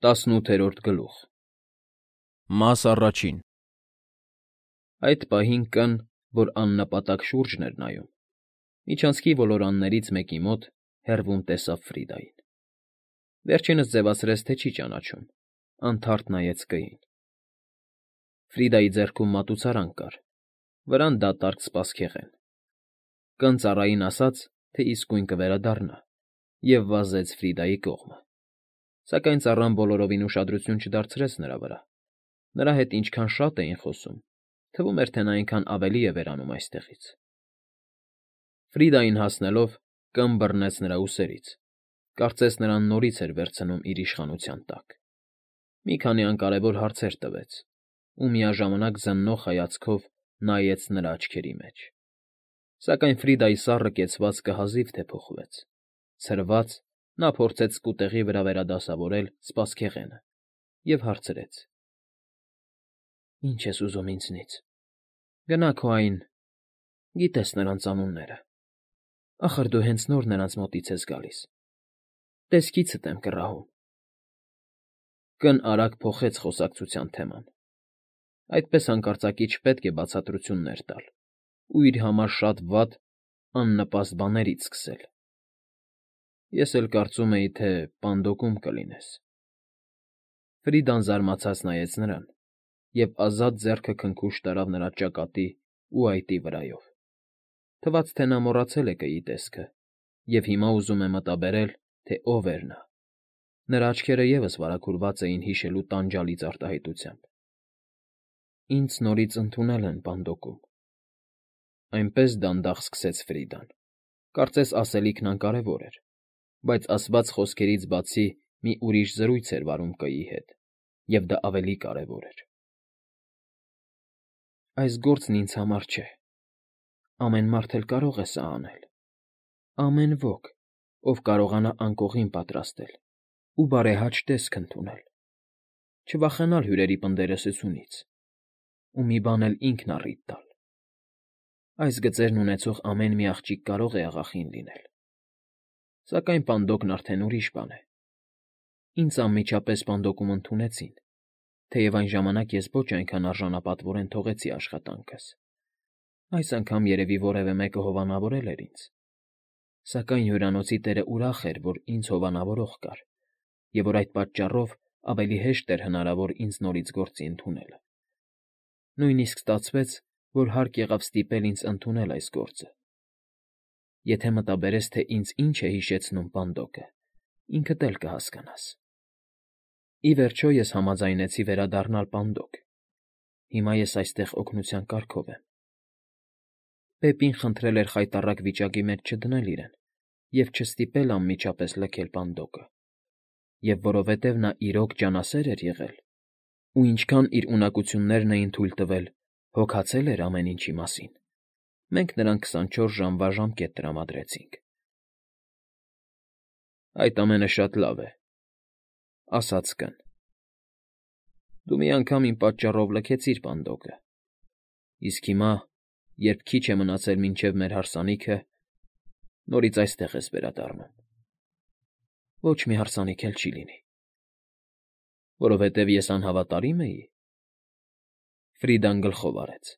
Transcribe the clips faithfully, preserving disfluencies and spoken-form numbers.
ՏԱՍՆՈՒԹԵՐՈՐԴ ԳԼՈՒԽ Մաս առաջին Այդ պահին կն, որ աննպատակ շուրջն էր նայում, միջանցքի ոլորաններից մեկի մոտ հեռվում տեսավ Ֆրիդային. վերջինս ձևացրեց, թե չի ճանաչում, անթարթ նայեց կին. Ֆրիդայի ձեռքում մատուցարան կար, վրան դատարկ սպասքեղեն. կն ծառային ասաց, թե իսկույն կվերադառնա, և վազեց Ֆրիդայի կողմը, սակայն ծառան բոլորովին ուշադրություն չդարձրեց նրա վրա, նրա հետ ինչքան շատ էին խոսում, թվում էր, թե նա այնքան ավելի է վերանում այստեղից. Ֆրիդային հասնելով, կն բռնեց նրա ուսերից, կարծես նրան նորից էր վերցնում իր իշխանության տակ, մի քանի անկարևոր հարցեր տվեց ու միաժամանակ զննող հայացքով նայեց նրա աչքերի մեջ, սակայն Ֆրիդայի սառը կեցվածքը հազիվ թե փոխվեց, ցրված, նա փորձեց սկուտեղի վրա վերադասավորել սպասքեղենը և հարցրեց. Ի՞նչ ես ուզում ինձնից, գնա քո այն, գիտես նրանց անունները, ախր դու հենց նոր նրանց մոտից ես գալիս, տեսքիցդ եմ կռահում… Կն արագ փոխեց խոսակցության թեման. այդպես հանկարծակի չպետք է բացատրություններ տալ ու իր համար շատ վատ, աննպաստ բաներից սկսել… Ես էլ կարծում էի, թե պանդոկում կլինես… Ֆրիդան զարմացած նայեց նրան և ազատ ձեռքը քնքուշ տարավ նրա ճակատի ու այտի վրայով, թվաց, թե նա մոռացել է կգի տեսքը և հիմա ուզում է մտաբերել, թե ով էր նա… Նրա աչքերը ևս վարագուրված էին հիշելու տանջալից արտահայտությամբ… Ինձ նորից ընդունել են պանդոկում… Այնպես դանդաղ սկսեց Ֆրիդան, կարծես ասելիքն անկարևոր էր, բայց ասված խոսքերից բացի մի ուրիշ զրույց էր վարում կգի հետ, և դա ավելի կարևոր էր… Այս գործն ինձ համար չէ… Ամեն մարդ էլ կարող է սա անել… Ամեն ոք, ով կարողանա անկողին պատրաստել ու բարեհաճ տեսք ընդունել, չվախենալ հյուրերի պնդերեսությունից ու մի բան էլ ինքն առիթ տալ… Այս գծերն ունեցող ամեն մի աղջիկ կարող է աղախին լինել… Սակայն պանդոկն արդեն ուրիշ բան է… Ինձ անմիջապես պանդոկում ընդունեցին, թեև այն ժամանակ ես ոչ այնքան արժանապատվորեն թողեցի աշխատանքս… Այս անգամ երևի որևէ մեկը հովանավորել էր ինձ… Սակայն հյուրանոցի տերը ուրախ էր, որ ինձ հովանավորող կար և որ այդ պատճառով ավելի հեշտ էր հնարավոր ինձ նորից գործի ընդունելը… Նույնիսկ ստացվեց, որ հարկ եղավ ստիպել ինձ ընդունել այս գործը… Եթե մտաբերես, թե ինձ ինչ է հիշեցնում պանդոկը, ինքդ էլ կհասկանաս… Ի վերջո ես համաձայնեցի վերադառնալ պանդոկ… Հիմա ես այստեղ օգնության կարգով եմ… Բեպին խնդրել էր խայտառակ վիճակի մեջ չդնել իրեն և չստիպել անմիջապես լքել պանդոկը… Եվ որովհետև նա իրոք ջանասեր էր եղել ու ինչքան իր ունակություններն էին թույլ տվել, հոգացել էր ամեն ինչի մասին, մենք նրան քսանչորս ժամվա ժամկետ տրամադրեցինք… Այդ ամենը շատ լավ է…֊ ասաց կն…֊ Դու մի անգամ իմ պատճառով լքեցիր պանդոկը, իսկ հիմա, երբ քիչ է մնացել մինչև մեր հարսանիքը, նորից այստեղ ես վերադառնում… Ոչ մի հարսանիք էլ չի լինի… Որովհետև ես անհավատարի՞մ էի… Ֆրիդան գլխով արեց…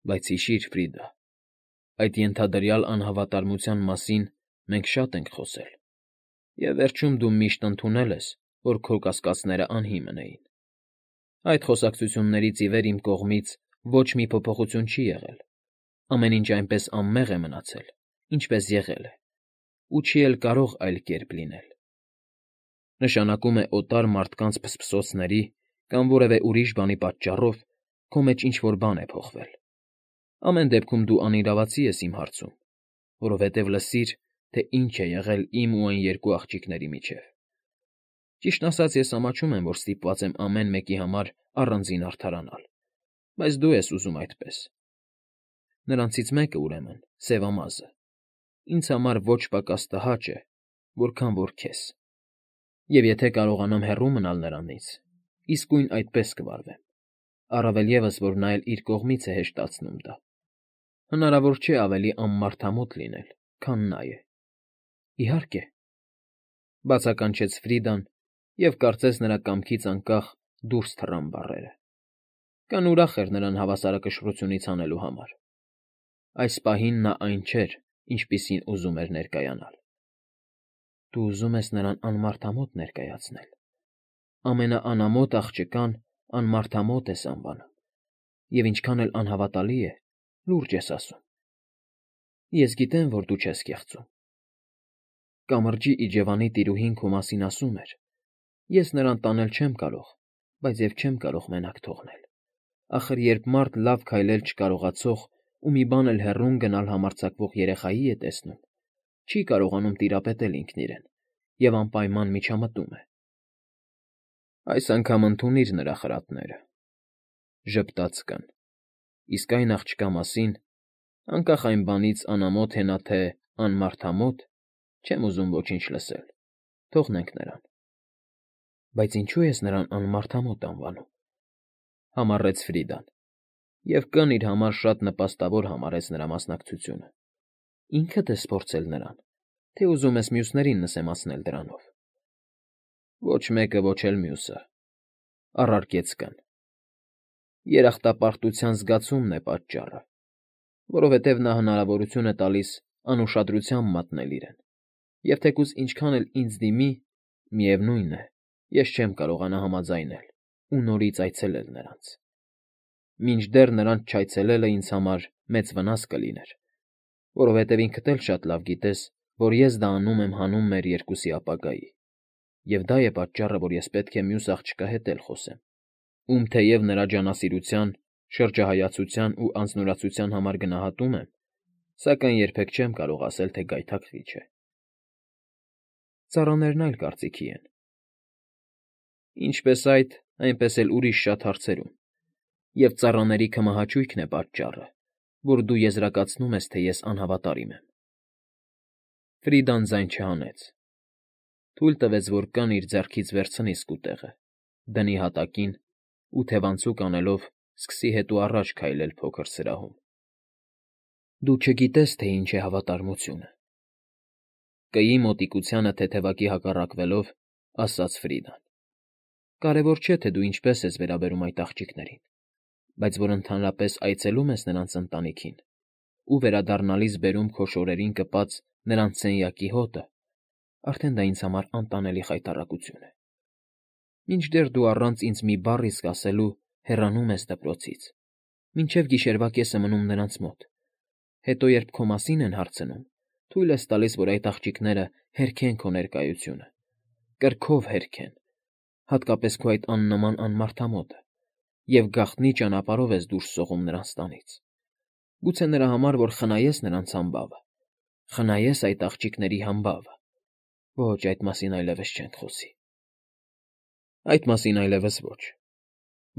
Բայց հիշիր, Ֆրիդա, այդ ենթադրյալ անհավատարմության մասին մենք շատ ենք խոսել, և վերջում դու միշտ ընդունել ես, որ քո կասկածներն անհիմն էին… Այդ խոսակցություններից ի վեր իմ կողմից ոչ մի փոփոխություն չի եղել, ամեն ինչ այնպես անմեղ է մնացել, ինչպես եղել է, ու չի էլ կարող այլ կերպ լինել… Նշանակում է օտար մարդկանց փսփսոցների կամ որևէ ուրիշ բանի պատճառով քո մեջ ինչ֊որ բան է փոխվել… Ամեն դեպքում դու անիրավացի ես իմ հարցում, որովհետև լսիր, թե ինչ է եղել իմ ու այն երկու աղջիկների միջև… Ճիշտն ասած, ես ամաչում եմ, որ ստիպված եմ ամեն մեկի համար առանձին արդարանալ, բայց դու ես ուզում այդպես… Նրանցից մեկը, ուրեմն, սևամազը, ինձ համար ոչ պակաս տհաճ է, որքան որ քեզ… Եվ եթե կարողանամ հեռու մնալ նրանից, իսկույն այդպես կվարվեմ, առավել ևս, որ նա էլ իր կողմից է հեշտացնում դա… Հնարավոր չէ ավելի անմարդամոտ լինել, քան նա է… Իհարկե…֊ բացականչեց Ֆրիդան և կարծես նրա կամքից անկախ դուրս թռան բառերը։ Կան ուրախ էր նրան հավասարակշռությունից հանելու համար։ Այս պահին նա այն չէր, ինչպիսին ուզում էր ներկայանալ։ Դու ուզում ես նրան անմարդամոտ ներկայացնել։ Ամենաանամոթ աղջկան անմարդամոտ ես անվանում, և ինչքան էլ անհավատալի է, լուրջ ես ասում։ Ես գիտեմ, որ դու չես կեղծում։ Կամրջի իջևանի տիրուհին քո մասին ասում էր. ես նրան տանել չեմ կարող, բայց և չեմ կարող մենակ թողնել։ Ախր երբ մարդ լավ քայլել չկարողացող ու մի բան էլ հեռուն գնալ համարձակվող երեխայի է տեսնում, չի կարողանում տիրապետել ինքն իրեն և անպայման միջամտում է։ Այս անգամ ընդունիր նրա խրատները, ժպտաց կն, իսկ այն աղջկա մասին, անկախ այն բանից անամոթ է նա թե անմարդամոտ, չեմ ուզում ոչինչ լսել, թողնենք նրան։ Բայց ինչու ես նրան անմարդամոտ անվանում, համառեց Ֆրիդան, և կն իր համար շատ նպաստավոր համարեց նրա մասնակցությունը։ Ինքդ ես փորձել նրան, թե ուզում ես մյուսներին նսեմացնել դրանով։ Ոչ մեկը, ոչ էլ մյուսը, առարկեց կն։ Երախտապարտության զգացումն է պատճառը, որովհետև նա հնարավորություն է տալիս անուշադրությամբ մատնել իրեն, և թեկուզ ինչքան էլ ինձ դիմի, միևնույն է, ես չեմ կարողանա համաձայնել ու նորից այցելել նրանց։ Մինչդեռ նրանց չայցելելը ինձ համար մեծ վնաս կլիներ, որովհետև ինքդ էլ շատ լավ գիտես, որ ես դա անում եմ հանուն մեր երկուսի ապագայի, և դա է պատճառը, որ ես պետք է մյուս աղջկա հետ էլ խոսեմ, ում թեև նրա ջանասիրության, շրջահայացության ու անձնուրացության համար գնահատում եմ, սակայն երբեք չեմ կարող ասել, թե գայթակղիչ է։ Ծառաներն այլ կարծիքի են։ Ինչպես այդ, այնպես էլ ուրիշ շատ հարցերում, և ծառաների քմահաճույքն է պատճառը, որ դու եզրակացնում ես, թե ես անհավատարիմ եմ։ Ֆրիդան ձայն չհանեց։ Թույլ տվեց, որ կն իր ձեռքից վերցնի սկուտեղը, դնի հատակին ու թևանցուկ անելով սկսի հետո առաջ քայլել փոքր սրահում։ Դու չգիտես, թե ինչ է հավատարմությունը, կգի մոտիկությանը թեթևակի հակառակվելով, ասաց Ֆրիդան։ Կարևոր չէ, թե դու ինչպես ես վերաբերում այդ աղջիկներին, բայց որ ընդհանրապես այցելում ես նրանց ընտանիքին ու վերադառնալիս բերում քո շորերին կպած նրանց սենյակի հոտը, արդեն դա ինձ համար անտանելի խայտառակություն է։ Մինչդեռ դու առանց ինձ մի բառ իսկ ասելու հեռանում ես դպրոցից, մինչև գիշերվա կեսը մնում նրանց մոտ, հետո երբ քո մասին են հարցնում, թույլ ես տալիս, որ այդ աղջիկները հերքեն քո ներկայությունը, կրքով հերքեն, հատկապես քո այդ աննման անմարդամոտը, և գաղտնի ճանապարհով ես դուրս սողում նրանց տանից։ Գուցե նրա համար, որ խնայես նրանց համբավը, խնայես այդ աղջիկների համբավը։ Ոչ, այդ մասին այլևս չենք խոսի։ Այդ մասին այլևս ոչ,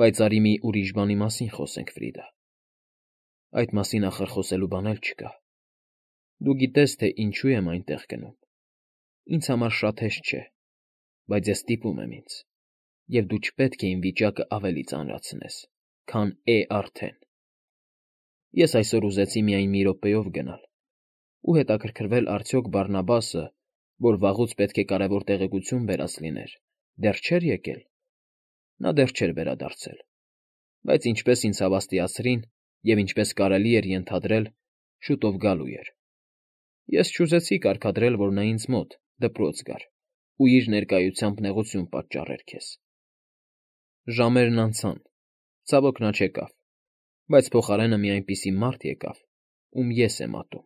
բայց արի մի ուրիշ բանի մասին խոսենք, Ֆրիդա։ Այդ մասին ախր խոսելու բան էլ չկա։ Դու գիտես, թե ինչու եմ այնտեղ գնում։ Ինձ համար շատ հեշտ չէ, բայց ես ստիպում եմ ինձ, և դու չպետք է իմ վիճակը ավելի ծանրացնես, քան է արդեն։ Ես այսօր ուզեցի միայն մի րոպեով գնալ ու հետաքրքրվել արդյոք Բարնաբասը, որ վաղուց պետք է կարևոր տեղեկություն բերած լիներ, դեռ չէր եկել։ Նա դեռ չէր վերադարձել, բայց ինչպես ինձ հավաստիացրին և ինչպես կարելի էր ենթադրել, շուտով գալու էր։ Ես չուզեցի կարգադրել, որ նա ինձ մոտ դպրոց գար ու իր ներկայությամբ նեղություն պատճառեր քեզ։ Ժամերն անցան, ցավոք նա չեկավ, բայց փոխարենը մի այնպիսի մարդ եկավ, ում ես եմ ատում։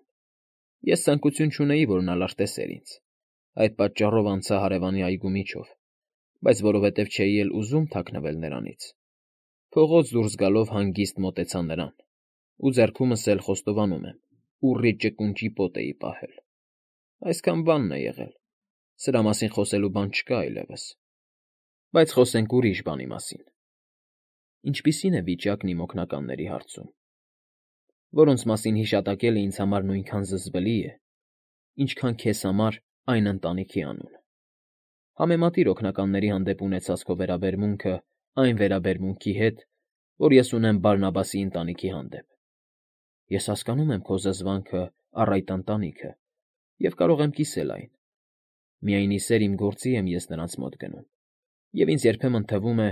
Ես ցանկություն չունեի, որ նա լրտեսեր ինձ, այդ պատճառով անցա հարևանի այգու միջով, բայց որովհետև չէի էլ ուզում թաքնվել նրանից, փողոց դուրս գալով հանգիստ մոտեցա նրան, ու ձեռքումս էլ խոստովանում եմ, ուռի ճկունջի պոտ էի պահել։ Այսքան բանն է եղել, սրա մասին խոսելու բան չկա այլևս։ Բայց խոսենք ուրիշ բանի մասին։ Ինչպիսի՞ն է վիճակն իմ օգնականների հարցում, որոնց մասին հիշատակելը ինձ համար նույնքան զզվելի է, ինչքան քեզ համար այն ընտանիքի անունը։ Համեմատիր օգնականների հանդեպ ունեցած քո վերաբերմունքը այն վերաբերմունքի հետ, որ ես ունեմ Բարնաբասի ընտանիքի հանդեպ։ Ես հասկանում եմ քո զզվանքը առ այդ ընտանիքը և կարող եմ կիսել այն։ Միայն ի սեր իմ գործի եմ ես նրանց մոտ գնում, և ինձ երբեմն թվում է,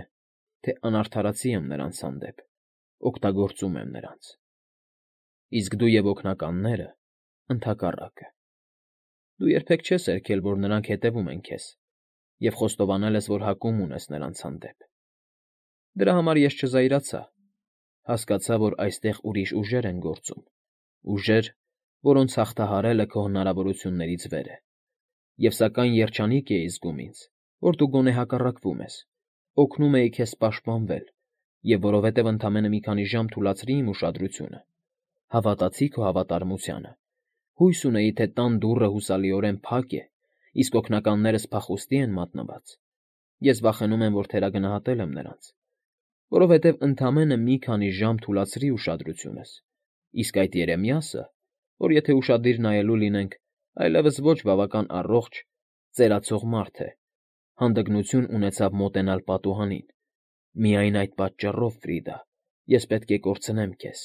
թե անարդարացի եմ նրանց հանդեպ, օգտագործում եմ նրանց։ Իսկ դու և օգնականները՝ ընդհակառակը։ Դու երբեք չես երգել, որ նրանք հետևում են քեզ, և խոստովանել ես, որ հակում ունես նրանց հանդեպ։ Դրա համար ես չզայրացա, հասկացա, որ այստեղ ուրիշ ուժեր են գործում, ուժեր, որոնց հաղթահարելը քո հնարավորություններից վեր է, և սակայն երջանիկ էի զգում ինձ, որ դու գոնե հակառակվում ես, օգնում էի քեզ պաշտպանվել, և որովհետև ընդամենը մի քանի ժամ թուլացրի իմ ուշադրությունը, հավատացի քո հավատարմությանը, հույս ունեի, թե տան դուռը հուսալիորեն փակ է, իսկ օգնականներս փախուստի են մատնված։ Ես վախենում եմ, որ թերագնահատել եմ նրանց, որովհետև ընդամենը մի քանի ժամ թուլացրի ուշադրությունս, իսկ այդ Երեմիասը, որ եթե ուշադիր նայելու լինենք, այլևս ոչ բավական առողջ, ծերացող մարդ է, հանդգնություն ունեցավ մոտենալ պատուհանին։ Միայն այդ պատճառով, Ֆրիդա, ես պետք է կորցնեմ քեզ,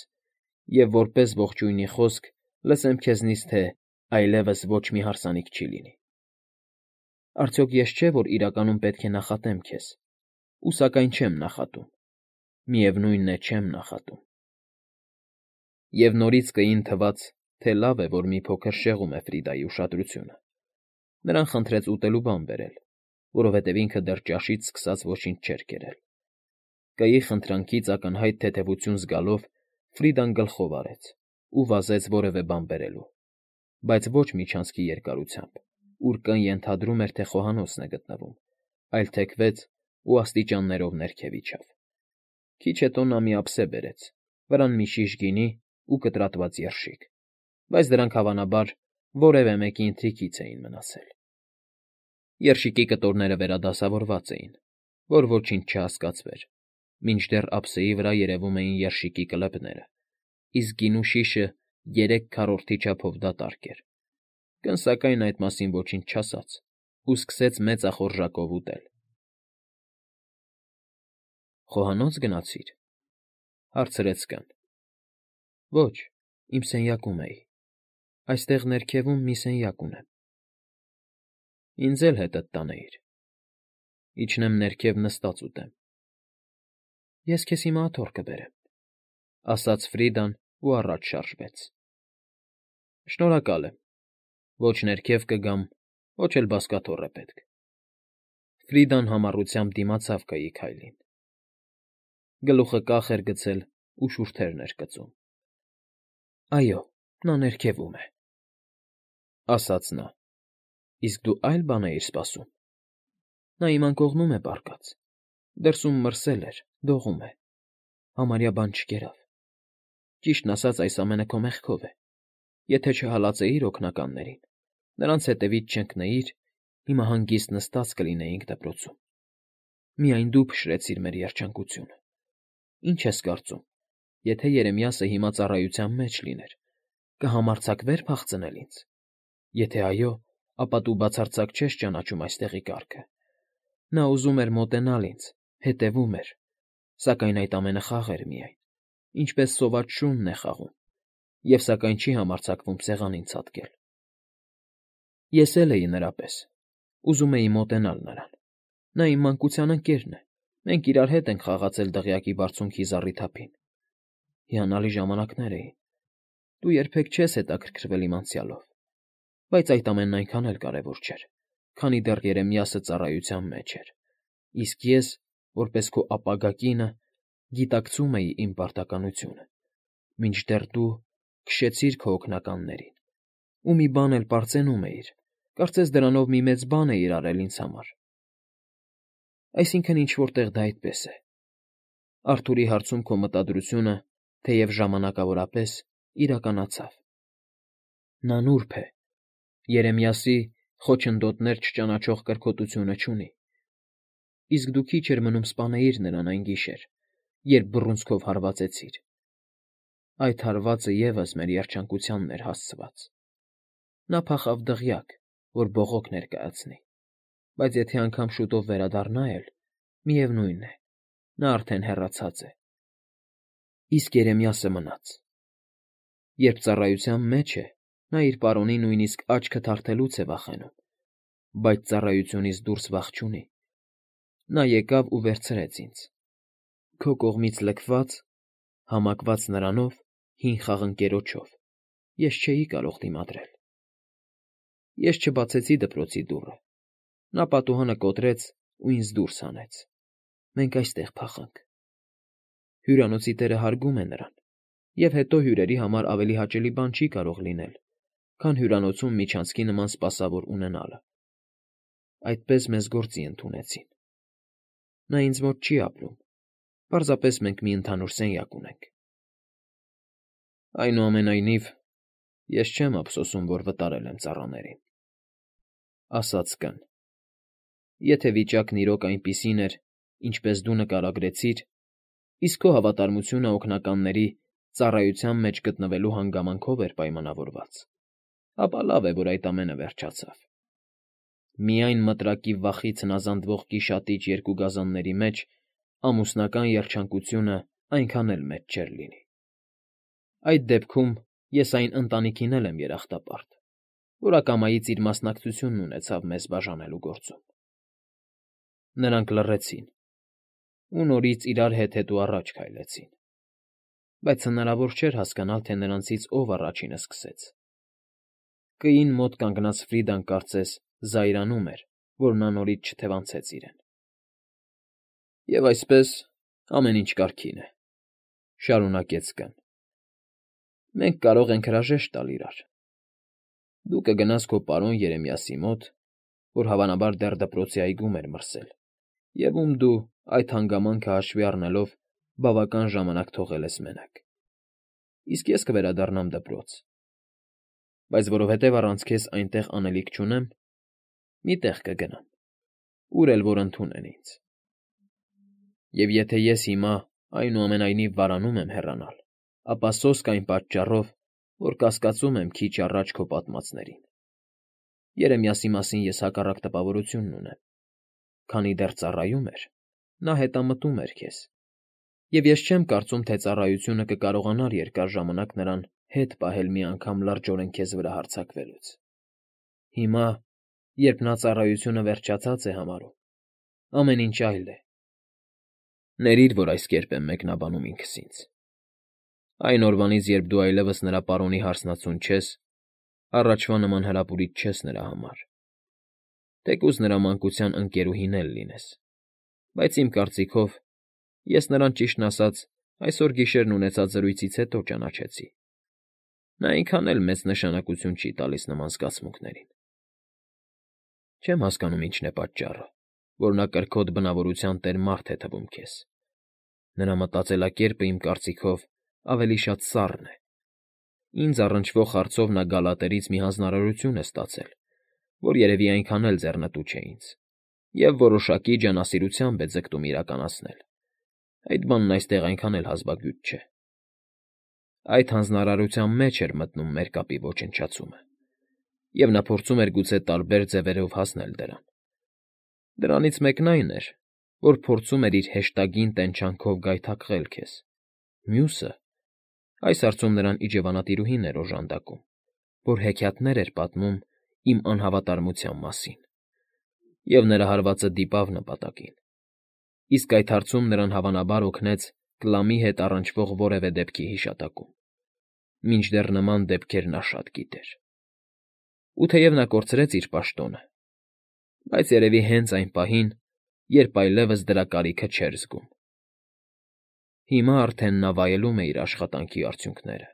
և որպես ողջույնի խոսք լսեմ քեզնից, թե այլևս ոչ մի հարսանիք չի լինի։ Արդյոք ես չէ, որ իրականում պետք է նախատեմ քեզ, ու սակայն չեմ նախատում, միևնույն է, չեմ նախատում։ Եվ նորից կին թվաց, թե լավ է, որ մի փոքր շեղում է Ֆրիդայի ուշադրությունը։ Նրան խնդրեց ուտելու բան բերել, որովհետև ինքը դեռ ճաշից սկսած ոչինչ չէր կերել։ Կայի խնդրանքից ակնհայտ թեթևություն զգալով Ֆրիդան գլխով արեց ու վազեց որևէ բան բերելու, բայց ոչ միջանցքի երկարությամբ, ուր Կ֊ն ենթադրում էր, թե խոհանոցն է գտնվում, այլ թեքվեց ու աստիճաններով ներքև իջավ։ Քիչ հետո նա մի ափսե բերեց, վրան մի շիշ գինի ու կտրատված երշիկ, բայց դրանք, հավանաբար, որևէ մեկի ընթրիքից էին մնացել։ Երշիկի կտորները վերադասավորված էին, որ ոչինչ չհասկացվեր, մինչդեռ ափսեի վրա երևում էին երշիկի կլեպները, իսկ գինու շիշը երեք քառորդի չափով դատարկ էր։ Կ֊ն, սակայն, այդ մասին ոչինչ չասաց ու սկսեց մեծախորժակով ուտել։ ֊ Խոհանո՞ց գնացիր,֊ հարցրեց Կ֊ն։ ֊ Ոչ, իմ սենյակում էի, այստեղ ներքևում մի սենյակ ունեմ։ ֊ Ինձ էլ հետդ տանեիր, իջնեմ ներքև նստած ուտեմ։ ֊ Ես քեզ հիմա աթոռ կբերեմ,֊ ասաց Ֆրիդան ու առաջ շարժվեց։ ֊ Շնորհակալ եմ, ոչ ներքև կգամ, ոչ էլ բազկաթոռ է պետք։ Ֆրիդան համառությամբ դիմացավ Կ֊ի քայլին։ Գլուխը կախ էր գցել ու շուրթերն էր կծում։ ֊ Այո, նա ներքևում է,֊ ասաց նա,֊ իսկ դու այլ բան էիր սպասում։ Նա իմ անկողնում է պառկած, դրսում մրսել էր, դողում է, համարյա բան չկերավ։ Ճիշտն ասած, այս ամենը քո մեղքով է։ Եթե չհալածեիր օգնականներին, նրանց հետևից չընկնեիր, հիմա հանգիստ նստած կլինեինք դպրոցում։ Միայն դու փշրեցիր մեր երջանկությունը։ Ինչ ես կարծում, եթե Երեմիասը հիմա ծառայության մեջ լիներ, կհամարձակվե՞ր փախցնել ինձ։ Եթե այո, ապա դու բացարձակ չես ճանաչում այստեղի կարգը։ Նա ուզում էր մոտենալ ինձ, հետևում էր, սակայն այդ ամենը խաղ էր միայն, ինչպես սոված շունն է խաղում, և սակայն չի համարձակվում սեղանին ցատկել։ Ես էլ էի նրա պես, ուզում էի մոտենալ նրան։ Նա իմ մանկության ընկերն է, մենք իրար հետ ենք խաղացել դղյակի բարձունքի զառիթափին։ Հիանալի ժամանակներ էին։ Դու երբեք չես հետաքրքրվել իմ անցյալով, բայց այդ ամենն այնքան էլ կարևոր չէր, քանի դեռ Երեմիասը ծառայության մեջ էր, իսկ ես, որպես քո ապագա կինը, գիտակցում էի իմ պարտականությունը, մինչդեռ դու քշեցիր քո օգնականներին, ու մի բան էլ պարծենում էիր, կարծես դրանով մի մեծ բան էիր արել ինձ համար։ Այսինքն՝ ինչ֊որ տեղ դա այդպես է։ Արթուրի հարցում քո մտադրությունը, թեև ժամանակավորապես, իրականացավ։ Նա նուրբ է, Երեմիասի խոչընդոտներ չճանաչող կրքոտությունը չունի, իսկ դու քիչ էր մնում սպանեիր նրան այն գիշեր, երբ բռունցքով հարվածեցիր։ Այդ հարվածը ևս մեր երջանկությանն էր հասցված։ Նա փախավ դղյակ, որ բողոք ներկայացնի, բայց եթե անգամ շուտով վերադառնա էլ, միևնույն է, նա արդեն հեռացած է։ Իսկ Երեմիասը մնաց։ Երբ ծառայության մեջ է, նա իր պարոնի նույնիսկ աչքը թարթելուց է վախենում, բայց ծառայությունից դուրս վախ չունի։ Նա եկավ ու վերցրեց ինձ, քո կողմից լքված, համակված նրանով, հին խաղընկերոջով, ես չէի կարող դիմադրել։ Ես չբացեցի դպրոցի դուռը, նա պատուհանը կոտրեց ու ինձ դուրս հանեց, մենք այստեղ փախանք։ Հյուրանոցի տերը հարգում է նրան, և հետո հյուրերի համար ավելի հաճելի բան չի կարող լինել, քան հյուրանոցում միջանցքի նման սպասավոր ունենալը։ Այդպես մեզ գործի ընդունեցին։ Նա ինձ մոտ չի ապրում, պարզապես մենք մի ընդհանուր սենյակ ունենք։ Այնուամենայնիվ, ես չեմ ափսոսում, որ վտարել եմ ծառաներին, ասաց կն։ Եթե վիճակն իրոք այնպիսին էր, ինչպես դու նկարագրեցիր, իսկ քո հավատարմությունը օգնականների ծառայության մեջ գտնվելու հանգամանքով էր պայմանավորված, ապա լավ է, որ այդ ամենը վերջացավ։ Միայն մտրակի վախից հնազանդվող գիշատիչ երկու գազանների մեջ ամուսնական երջանկությունը այնքան էլ մեծ չէր լինի։ Այդ դեպքում ես այն ընտանիքին էլ եմ երախտապարտ, որ ակամայից իր մասնակցությունն ունեցավ մեզ բաժանելու գործում։ Նրանք լռեցին ու նորից իրար հետ-հետո առաջ քայլեցին, բայց հնարավոր չէր հասկանալ, թե նրանցից ով առաջինը սկսեց։ Կին մոտ կանգնած Ֆրիդան կարծես զայրանում էր, որ նա նորից չթևանցեց իրեն։ Եվ այսպես ամեն ինչ կարգին է, շարունակեց կն։ Մենք կարող ենք հրաժեշտ տալ իրար։ Դու կգնաս քո պարոն Երեմիասի մոտ, որ հավանաբար դեռ դպրոցի այգում էր մրսել, և ում դու, այդ հանգամանքը հաշվի առնելով, բավական ժամանակ թողել ես մենակ։ Իսկ ես կվերադառնամ դպրոց։ Բայց որովհետև առանց քեզ այնտեղ անելիք չունեմ, մի տեղ կգնամ, ուր էլ որ ընդունեն ինձ։ Եվ եթե ես հիմա այնուամենայնիվ վարանում եմ հեռանալ, ապա սոսկ այն պատճառով, որ կասկածում եմ քիչ առաջ քո պատմածներին։ Երեմիասի մասին ես հակառակ տպավորությունն ունեմ, քանի դեռ ծառայում էր, նա հետամտում էր քեզ, և ես չեմ կարծում, թե ծառայությունը կկարողանար երկար ժամանակ նրան հետ պահել մի անգամ լրջորեն քեզ վրա հարձակվելուց։ Հիմա, երբ նա ծառայությունը վերջացած է համարում, ամեն ինչ այլ է։ Ներիր, որ այս կերպ եմ մեկնաբանում ինքս ինձ։ Այն օրվանից, երբ դու այլևս նրա պարոնի հարսնացուն չես, առաջվա նման հրապուրիչ չես նրա համար։ Թեկուզ նրա մանկության ընկերուհին էլ լինես, բայց իմ կարծիքով, ես նրան ճիշտն ասած այսօր գիշերն ունեցած զրույցից հետո ճանաչեցի։ Նա այնքան էլ մեծ նշանակություն չի տալիս նման զգացմունքներին։ Չեմ հասկանում ինչն է պատճառը, որ նա կրքոտ բնավորության տեր մարդ է թվում քեզ։ Նրա մտածելակերպը, իմ կարծիքով, ավելի շատ սառն է։ Ինձ առնչվող հարցով նա Գալատերից մի հանձնարարություն է ստացել, որ երևի այնքան էլ ձեռնտու չէ ինձ, և որոշակի ջանասիրությամբ է ձգտում իրականացնել։ Այդ բանն այստեղ այնքան էլ հազվագյուտ չէ։ Այդ հանձնարարության մեջ էր մտնում մեր կապի ոչնչացումը, և նա փորձում էր գուցե տարբեր ձևերով հասնել դրան։ Դրանից մեկն այն էր, որ փորձում էր իր հեշտագին տենչանքով գայթակղել քեզ, մյուսը… Այս հարցում նրան իջևանատիրուհին էր օժանդակում, որ հեքիաթներ էր պատմում իմ անհավատարմության մասին, և նրա հարվածը դիպավ նպատակին։ Իսկ այդ հարցում նրան հավանաբար օգնեց Կլամի հետ առնչվող որևէ դեպքի հիշատակում, մինչդեռ նման դեպքեր նա շատ գիտեր։ Ու թեև նա կորցրեց իր պաշտոնը, բայց երևի հենց այն պահին, երբ այլևս դրա կարիքը չէր զգում։ Հիմա արդեն նա վայելում է իր աշխատանքի արդյունքները։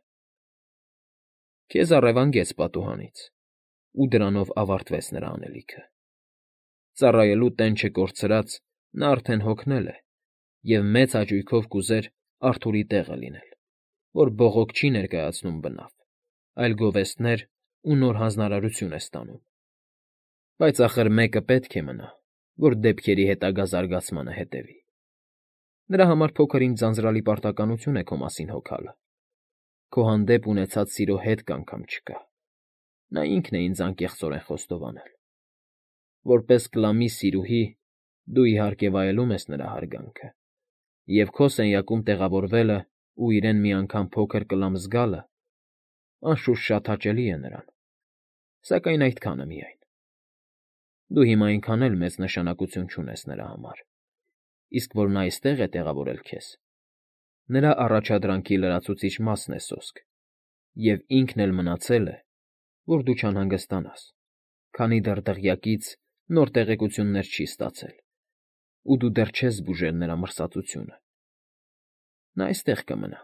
Քեզ առևանգեց պատուհանից, ու դրանով ավարտվեց նրա անելիքը։ Ծառայելու տենչը կորցրած՝ նա արդեն հոգնել է և մեծ հաճույքով կուզեր Արթուրի տեղը լինել, որ բողոք չի ներկայացնում բնավ, այլ գովեստներ ու նոր հանձնարարություն է ստանում։ Բայց ախր մեկը պետք է մնա, որ դեպքերի հետագա զարգացմանը հետևի։ Նրա համար փոքր֊ինչ ձանձրալի պարտականություն է քո մասին հոգալը։ Քո հանդեպ ունեցած սիրո հետք անգամ չկա։ Նա ինքն է ինձ անկեղծորեն խոստովանել։ Որպես Կլամի սիրուհի, դու իհարկե վայելում ես նրա հարգանքը, և քո սենյակում տեղավորվելը ու իրեն մի անգամ փոքր Կլամ զգալը, անշուշտ, շատ հաճելի է նրան, սակայն այդքանը միայն։ Դու հիմա այնքան էլ մեծ նշանակություն չունես նրա համար, իսկ որ նա այստեղ է տեղավորել քեզ, նրա առաջադրանքի լրացուցիչ մասն է սոսկ, և ինքն էլ մնացել է, որ դու չանհանգստանաս, քանի դեռ դղյակից նոր տեղեկություններ չի ստացել, ու դու դեռ չես բուժել նրա մրսածությունը. նա այստեղ կմնա։